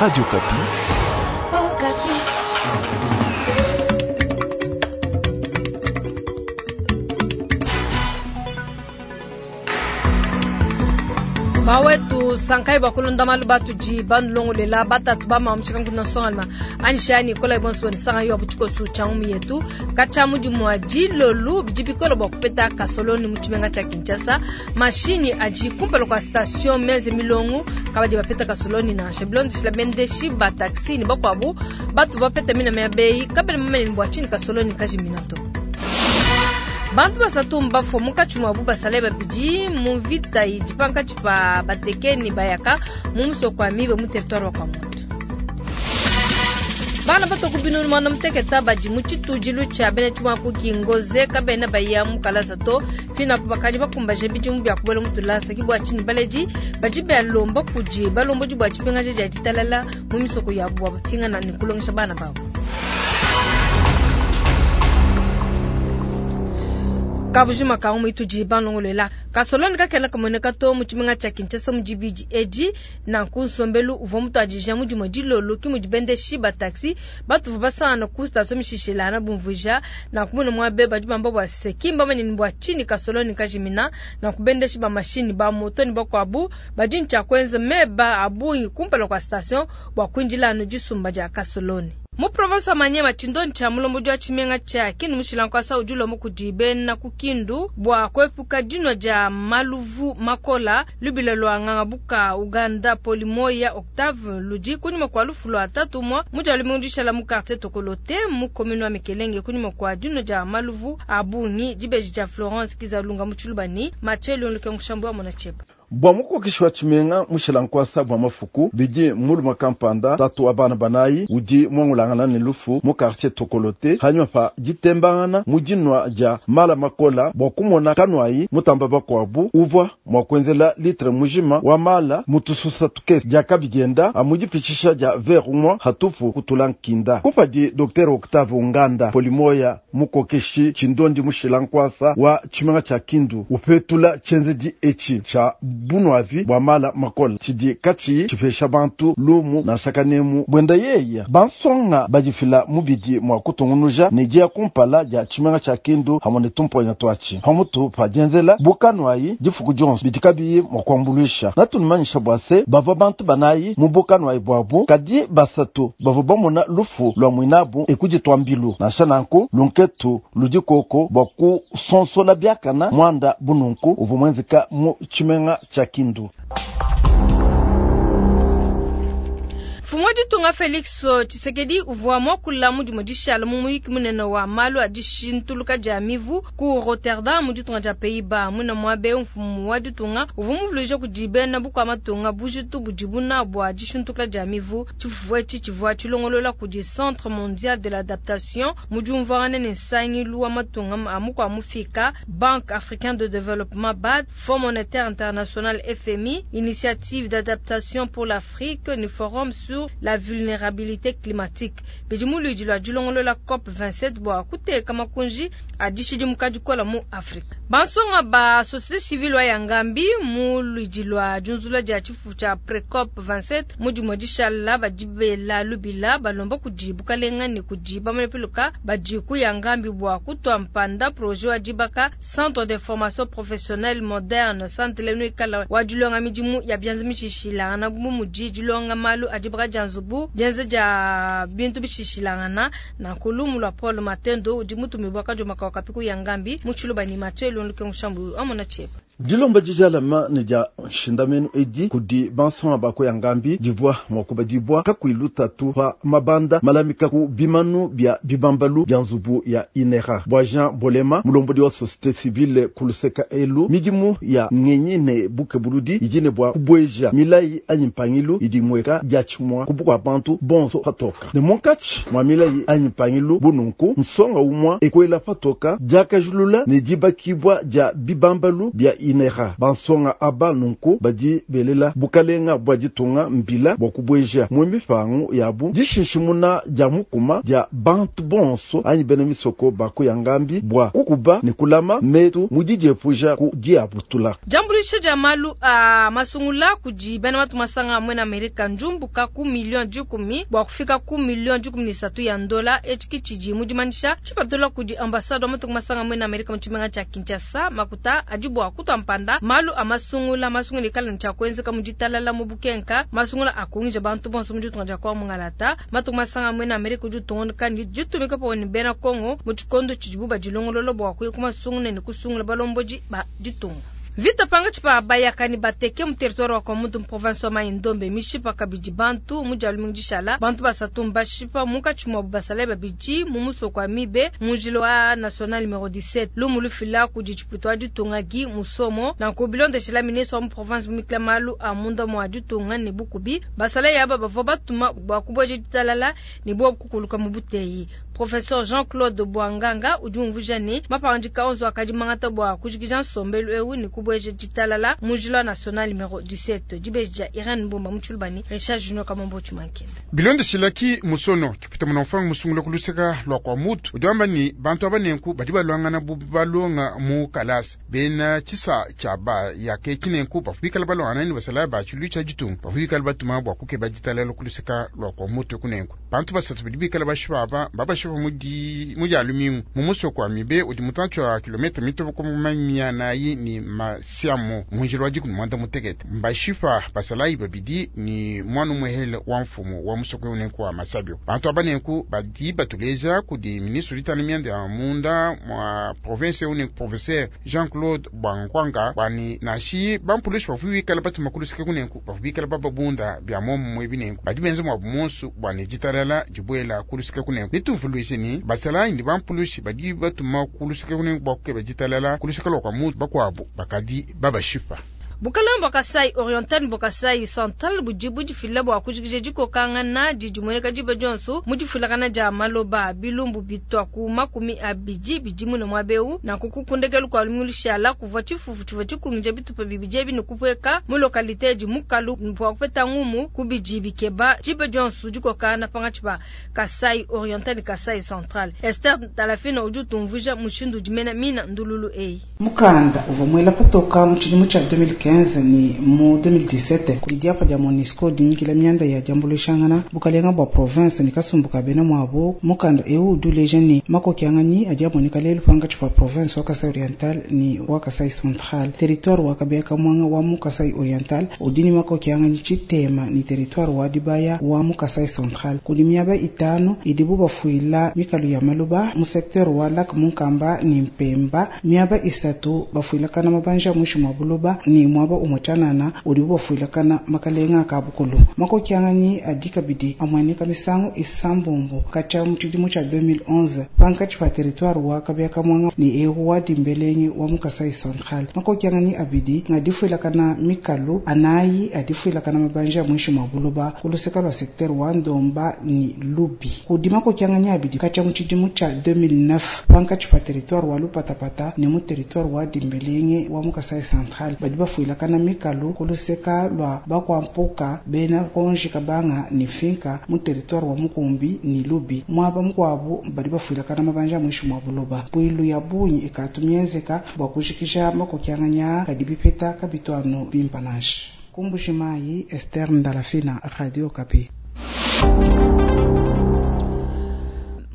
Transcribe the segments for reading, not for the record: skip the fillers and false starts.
Radio Okapi. Bawetu sankai bakulonda malu batudi banulongolela batatu bamamushika nkuna nsongalima anishani kola ibonso nisanga yo butshikosu tshia ngumu yetu katshia mudimu wa dilolu bidi bikola bua kupeta kasoloni mu tshimenga tshia Kinshasa mashinyi adi kumpala kua station meze milongo kabadi bapeta kasoloni nansha bilondeshila bendeshi ba taxi ne bakuabu batu bapeta mina mia bei kabena bamanye ne bua tshinyi kasoloni kajimina to. Bantu basatu mbafua munkatshi muabu basalayi babidi mu mvita idi pankatshi pa bateke ne bayaka mu musoko wa Mibe mu territoire wa Kwamouth. Bana batua ku binunu muanda muteketa badi mu tshitudilu tshia bena tshimuaku Kingoze kabena baya mu kalasa to. Pinapu bakadi bakumbaje bidimu bia kubuela mu tulasa. Ke bua tshinyi baledi badi balomba kudi balombodi bua dipingaja dia ditalala mu misoko yabu bua bapingana ne kulongesha bana babu. Kabujima ka ngumu itudi balongoluela kasoloni kakena kamueneka to mu tshimenga tshia Kinshasa mu dibidi edi. Nanku nsombelu uvua mutuadija mu dimue dilolo ke mudi bendeshi ba taxi batuvua basangana ku station mishishilangana bumvuija. Nanku mune muabe badi bamba bua se ki mbamanye ne bua tshinyi kasoloni kajimina. Nanku bendeshi ba mashinyi ba moto ne bakuabu badi ne tshia kuenza meba a bungi kumpala kua station bua kuindila anu disumba dia kasoloni. Mu province wa Maniema, tshindonyi tshia mulombodi wa tshimenga tshia Kindu mushila nkuasa udi ulomba kudi bena ku Kindu bua kuepuka dinua dia maluvu makola. Lubila lua ngangabuka Uganda Polimoya Octave ludi kunyima kua lufu lua tatu umua mu dia lumingu dishala mu quartier Tokolote mu commune wa Mikelenge kunyima kua dinua dia maluvu a bungi. Dibeji dia Florence Kizalunga mu Tshiluba ne Mathieu Luenduke Mushambu wa Mona Tsheba. Bua mukokeshi wa tshimenga mushila nkuasa bua mafuku, bidi mulume kampanda tatu wa bana banayi udi muangulangana ne lufu mu quartier Tokolote hanyima pa ditembangana mu dinua dia mala makola bua kumona kanuayi mutamba bakuabu uvua mua kuenzela litre mujima wa mala mu tususa tukese diakabi dienda amu dipitshisha dia verre umua hatupu kutula nkinda. Kupadi Docteur Octave Unganda Polimoya mukokeshi tshindondi mushila nkuasa wa tshimenga tshia Kindu upetula tshienzedi etshi tshia bunuavi bua mala makola tshidi katshiyi tshipesha bantu lumu nansha kanemu buenda yeya bansonga badifila mubidi mua kutungunuja ne dia kumpala dia tshimenga tshia Kindu hamwe ne tumponya tuatshi pamutu pa dienzela bukanuayi difuku dionso bidi kabiyi mua kuambuluisha natunumanyisha bua se bavua bantu banayi mu bukanuayi buabu kadi basatu bavua bamona lufu lua muinabu ekuditua mbilu nansha nanku lunketu ludi koko bua kusonsola biakana muanda bununku uvua muenzeka mu tshimenga tshia Kindu. Mfumu wa ditunga Felix Tshisekedi uvua muakula mu dimue dishala mu muyuki munene wa malu a dishintuluka dia mivu ku Rotterdam mu ditunga dia Pays-Bas. Muine muabe mfumu wa ditunga uvua muvuluija kudi bena bukua matunga bujitu budibu nabu bua dishintuluka dia mivu. Tshifufu etshi tshivua tshilongolola kudi Centre Mondial de l'Adaptation mu diumvuangana ne nsangilu wa matunga a mukua mufika, Banque Africaine de Développement BAD, Fonds Monétaire International FMI, Initiative d'Adaptation pour l'Afrique ne Forum sur la vulnérabilité climatique. Bidi mu luidi lua dilongolola COP 27 bua kuteka makunji a dishidimuka dikola mu Afrika. Bansonga ba société civile wa Yangambi mu luidi lua diunzula dia tshifufu tshia pre-COP 27 mu dimue dishala badi bela lubila balomba kudi bukalenga ne kudi bamane-piluka badi ku Yangambi bua kutua mpanda projet wa dibaka Centre de formation professionnelle moderne centre nuikala wa dilonga midimu ya bianza mishishilangana bu mudi dilonga malu a dibaka dia nzubu dienza dia bintu bishishilangana nanku lumu lua Paul Matendo udi mutumibua kadioma ka wakapi ku Yangambi mu Tshiluba ne Mathieu Luenduke Mushambu amona Tsheba. Dilomba dijalama ne dia nshindamenu edi kudi bansonga ba ku Yangambi divua mua kubadibua kakuyi lutatu pa mabanda malamika ku bimanu bia bibambalu bia nzubu ya INERA. Bua Jean Bolema mulombodi wa société civile ku luseka elu midimu ya ngenyi ne bukebuludi idi ne bua kubueja milayi anyi mpangilu idi mueka diatshimua ku bukua bantu bonso patoka ne munkatshi mua milayi anyi mpangilu bununku nsonga umua ekuela patoka diakajulula ne dibakibua dia bibambalu bia INRA. Bansonga aba nunku badi belela bukalenga bua ditunga mbila bua kubueja mu mipangu yabu dishinshimuna dia mukuma dia bantu bonso anyi bena misoko ba ku Yangambi bua kukuba ne kulama metu mu didiepuja ku diabutula. Diambuluisha dia malu a masungula kudi bena matu masanga a muena Amerika ndiumbuka ku miliyo dikumi bua kufika ku miliyo 13 ya ndola. Etshi ke tshidi mu dimanyisha tshipatula kudi ambasade wa matunga masanga a muena Amerika mu tshimenga tshia Kinshasa. Makuta adi bua kutua mpanda malu a masungula. Masungula ikala ne tshia kuenzeka mu ditalala mu bukenka. Masungula akungija bantu bonso mu ditunga dia Kongo mungalata. Matunga masanga a muena Amerika udi utungunuka ne ditumika pamue ne bena Kongo mu tshikondo tshidibu badilongolola bua kuya ku masungula ne kusungula balombodi ba ditunga. Mvita pankatshi pa bayaka ne bateke mu territoire wa Kwamutu mu province wa Mai-Ndombe mishipa kabidi bantu mu dia lumingu dishala. Bantu basatu mbashipa munkatshi muabu basalayi babidi mu musoko wa Mibe mu njila wa national numero 17. Lumu lufila kudi tshipuita wa ditunga Guy Musomo. Nanku bilondeshela ministre wa mu province mumikila malu a munda mua ditunga ne bukubi, basalayi aba bavua batuma bua kubueja ditalala ne buobu kukuluka mu buteyi. Professor Jean-Claude Bwanganga udi umvuija ne, mapangadika onso akadi mangata bua kujikija nsombelu eu ne kubueja ditalala mu njila wa national numero 17. Dibeji dia Irene Mbumba mu Tshiluba ne Richard Junior Kamombo Tshimankenda. Bilondeshila ki musono kipita munamfanga musungula ku luseka lua kua mutu udi wamba ni bantu aba nenku badi baluangana bu balonga mu kalasa bena tshisa tshia ba yake tshinenku bavua bikala baluangana ne basalayi ba tshilu tshia ditunga bavua bikala batuma bua kukeba ditalala ku luseka lua kua mutu kunenku. Bantu basatu badi bikala bashipa aba babashipa mu di mu dia lumingu mu musoko wa Mibe udi mutantshi wa kilomètre mitue ku mamianayi ne masiamu mu njila wa dikumi muanda mutekete. Mbashipa basalayi babidi ne muana umuehele wa mfumu wa musoko eu nenku wa Masabio. Bantu aba nenku badi batuleja kudi ministre ditana mianda ya munda mua province eu nenku professeur Jean-Claude Bwankwanga bwani nashi bampulushi bavua bikala batuma ku luseke kunenku bavua bikala bababunda bia muomumue binenku badi benza muabu monsu bwani ditalala dibuela ku luseke kunenku. Netuvuluije ni basalayi ne bampulushi badi batuma ku luseke kunenku bua kukeba ditalala ku luseke lua kua mutu bakuabu bakadi babashipa. Bukalenge bua Kasai Oriental ne bua Kasai Central budi budifila bua kujikija dikokangana didi dimueneka diba dionso mu difuilakana dia maloba. Bilumbu bitua ku 20 bidi mune muaba eu. Nanku ku ndekelu kua lumingu lushala kuvua tshifufu tshivua tshikungija bitupa bibidi ebi ne kupueka mu lokalite edi mukalu bua kupeta ngumu ku bidi bikeba diba dionso dikokangana pankatshi pa Kasai Oriental ne Kasai Central. Esther Talafina udi utumvuija mushindu udi mena mina ndululu eyi. Mukanda uvua muela patoka mu tshidimu tshia 2015 ne mu 2017 kudi diapa dia MONUSCO dinyikila mianda ya diambuluishangana bukalenga bua province ne kasumbu ka bena muabu. Mukanda eu udi uleja ne makokianganyi adi amueneka lelu pankatshi pa province wa Kasai Oriental ne wa Kasai Central. Territoire wa Kabeya Kamwanga wa mu Kasai Oriental udi ne makokianganyi tshitema ne territoire wa Dibaya wa mu Kasai Central. Kudi miaba itanu idibu bafuila mikalu ya maloba mu secteur wa Lac Munkamba ne Mpemba, miaba isatu bafuilakana mabanja muinshi mua buloba ne muaba umue tshianana udibu bafuilakana makalenga ka bukulu. Makokianganyi adi kabidi amueneka misangu isambombo katshia mu tshidimu tshia 2011 pankatshi pa territoire wa Kabeya Kamwanga ne eu wa Dimbelenge wa mu Kasai Central. Makokianganyi abidi nga difuilakana mikalu anayi adifuilakana mabanja muinshi mua buloba ku luseka lua secteur wa Ndomba ne Lubi. Kudi makokianganyi abidi katshia mu tshidimu tshia 2009 pankatshi pa territoire wa Lupatapata ne mu territoire wa Dimbelenge wa mu Kasai Central. Badi bafuilakana mikalu ku luseka lua Bakwampoka bena Konji Kabanga ne Finka mu territoire wa Mukumbi ne Lubi. Muaba mukuabu badi bafuilakana mabanja muinshi mua buloba. Mpuilu ya bungi ikatu mienzeka bua kujikija makokianganyi kadi bipeta kabitu anu bimpe nansha. Ku Mbuji-Mayi, Esther Ndalafina, Radio Okapi.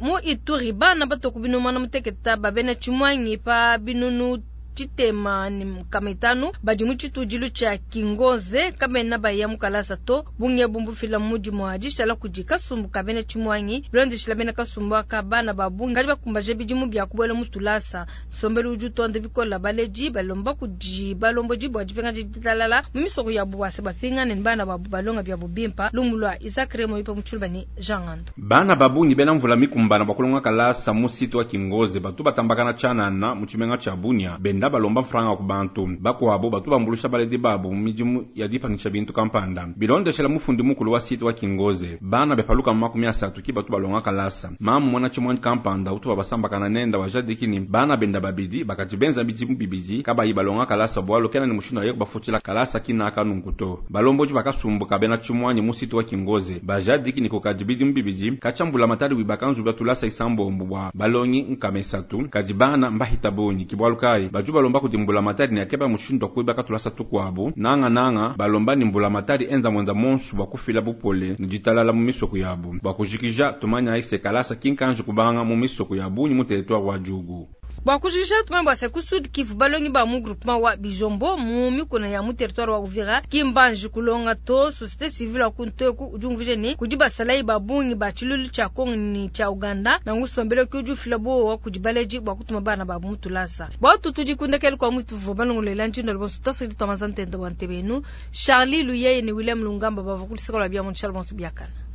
Mu Ituri bana batue ku 60 ba bena tshimuangi pa 650 badi mu tshitudilu tshia Kingoze kabena baya mu kalasa to. Bungi ebu mbufila mu dimue dishala kudi kasumbu ka bena tshimuangi. Bilondeshila bena kasumbu aka bana ba bungi kadi bakumbaje bidimu bia kubuela mu tulasa. Nsombelu udi utonda bikola baledi balomba kudi balombodi bua dipingaja ditalala mu misoko yabu bua se bapingane ne bana babu balonga biabu bimpa. Lumu lua Isaac Remo ipa mu Tshiluba ne Jean Ngando. Bana ba bungi bena mvula mikumbana bua kulonga kalasa mu site wa Kingoze batu batambakana tshianana mu tshimenga tshia Bunia benda benda balomba mfranga ku bantu. Bakuabu batu bambuluisha baledi babu mu midimu ya dipanyisha bintu kampanda. Bilondeshela mufundi mukulu wa site wa Kingoze, bana bepaluka 30 ki batu balonga kalasa. Mamu mwana tshimuanyi kampanda utu babasambakana nenda wajadiki ni bana benda babidi bakati benza bidimu bibidi kabayi balonga kalasa bwalu kena ni mushindu aye kubafutila kalasa kinaka nunku to. Balomboji bakasumbuka bena tshimuanyi mu site wa Kingoze bajadiki ni kukadi bidimu bibidi kachambula matari wibaka nzubu ya tulasa isambombo bwa balongi nkama isatu kadi bana mbahita bungi kibwalu kayi baju balomba kudi mbula matari ni akeba mushindu wa kuibaka tulasa tukuabu nanga nanga balomba ni mbula matari enza mwenza monsu bwa kufila bupole ni ditalala mu misoko yabu bwa kujikija tumanya aise kalasa kinkanji kubanga mu misoko ya bungi mu territoire wa Djugu. Bwa kujikija tumanya bwa se ku Sud Kivu balongi ba mu groupement wa Bijombo mu mikuna ya mu territoire wa Uvira kimbanji kulonga to société civile wa kunteku ujungvije ni kudi basalayi ba bungi ba tshilulu tshia Kongo ni tshia Uganda na ngusombele ki ujufila bo wa kudi baleji bwa kutuma bana ba mu tulasa. Bwa tutu dikundekele kwa mutu vo balongolela njindo bonso tasidi tomaza ntende wa ntebenu Charlie Luyeye ni William Lungamba bava kulisikola bia mu Charles Bonso biakana.